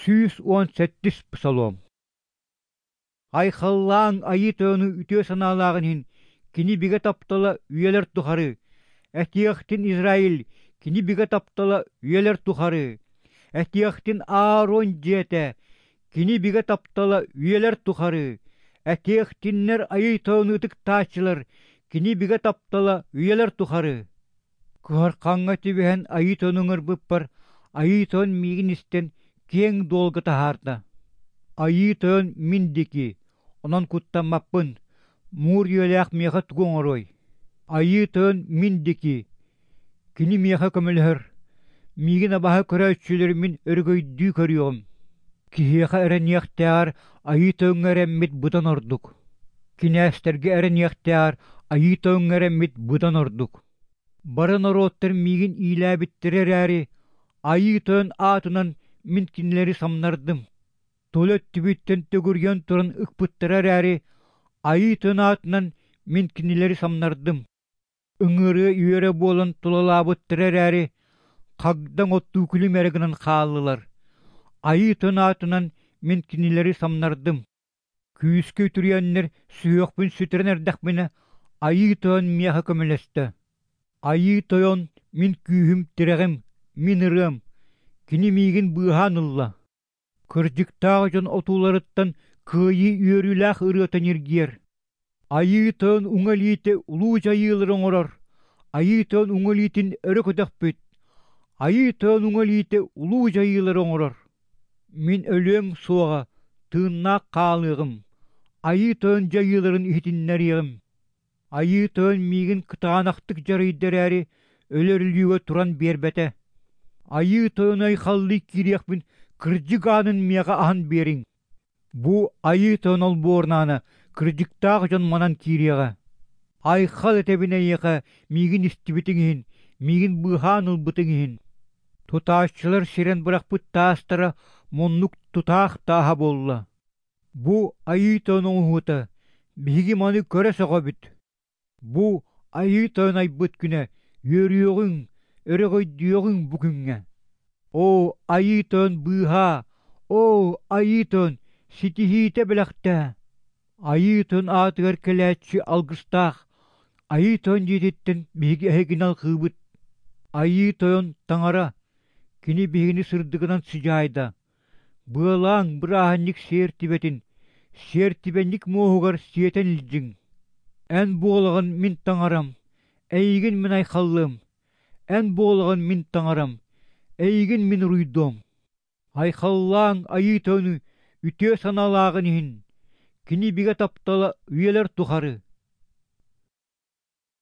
117-ис Псалом. Айхаллааҥ Айыы Тойону үтүө санаалааҕын иһин, кини бигэ таптала үйэлэр тухары. Этиэхтин Израиль, кини бигэ таптала үйэлэр тухары. Этиэхтин Аарон дьиэтэ, кини бигэ таптала үйэлэр тухары. Этиэхтиннэр Айыы Тойону ытыктааччылар, кини бигэ таптала үйэлэр тухары. Кыһархаҥҥа түбэһэн Айыы Тойону ыҥырбыппар, Айыы Тойон миигин истэн киэҥ дуолга таһаарда. Айыы Тойон мин диэки, онон куттаммаппын, муур үйэлээх миэхэ тугу оҥоруой? Айыы Тойон мин диэки, кини миэхэ көмөлөһөр, миигин абаһа көрөөччүлэри мин өрөгөйдүү көрүөҕүм. Киһиэхэ эрэниэхтээҕэр Айыы Тойоҥҥо эрэммит быдан ордук. Кинээстэргэ эрэниэхтээҕэр Айыы Тойоҥҥо эрэммит быдан ордук. Бары норуоттар миигин иилээбиттэрэ эрээри, Айыы Тойон аатынан мин кинилэри самнардым. Тула өттүбүттэн төгүрүйэн туран ыкпыттара эрээри, Айыы Тойон аатынан мин кинилэри самнардым. Ыҥырыа үөрэ буолан тулалаабыттара эрээри, хагдаҥ оттуу күлүм эрэ гынан хааллылар. Айыы Тойон аатынан мин кинилэри самнардым. Күүскэ үтүрүйэннэр сүһүөхпүн сүтэрэн эрдэхпинэ, Айыы Тойон миэхэ көмөлөстө. Айыы Тойон мин күүһүм, тирэҕим, мин ырыам, кини миигин быыһаан ылла. Кырдьыктаах дьон отууларыттан кыайыы үөрүүлээх ырыата ньиргиэр. Айыы Тойон уҥа илиитэ улуу дьайыылары оҥорор, Айыы Тойон уҥа илиитин өрө көтөхпүт, Айыы Тойон уҥа илиитэ улуу дьайыылары оҥорор. Мин өлүөм суоҕа, тыыннаах хаалыаҕым, Айыы Тойон дьайыыларын иһитиннэриэҕим. Айыы Тойон миигин кытаанахтык дьарыйда эрээри, өлөр өлүүгэ туран биэрбэтэ. Айыы Тойону айхаллыы киириэхпин кырдьык аанын миэхэ аһан биэриҥ. Бу Айыы Тойон олбуорнаана кырдьыктаах дьон манан киириэҕэ. Айхал этэбин эйиэхэ миигин истибитиҥ иһин, миигин быыһаан ылбытыҥ иһин. Тутааччылар сирэн бырахпыт таастара муннук тутаах тааһа буолла. Бу Айыы Тойон оҥоһуута, биһиги маны көрө сөҕөбүт. Бу Айыы Тойон айбыт күнэ, үөрүөҕүҥ, өрөгөйдүөҕүҥ бу күҥҥэ. Оо, Айыы Тойон быыһаа, оо, Айыы Тойон ситиһиитэ бэлэхтээ! Айыы Тойон аатыгар кэлээччи алгыстаах, Айыы Тойон дьиэтиттэн биһиги эһигини алҕыыбыт. Айыы Тойон Таҥара, Кини биһигини сырдыгынан сыдьаайда. Быалааҥ бырааһынньык сиэртибэтин, сиэртибэнньик муоһугар сиэтэн илдьиҥ. Эн буолаҕын мин таҥарам, эйигин мин айхаллыам, эн буолаҕын мин таҥарам, эйигин мин уруйдуом. Айхаллааҥ Айыы Тойону үтүө санаалааҕын иһин, кини бигэ таптала үйэлэр тухары.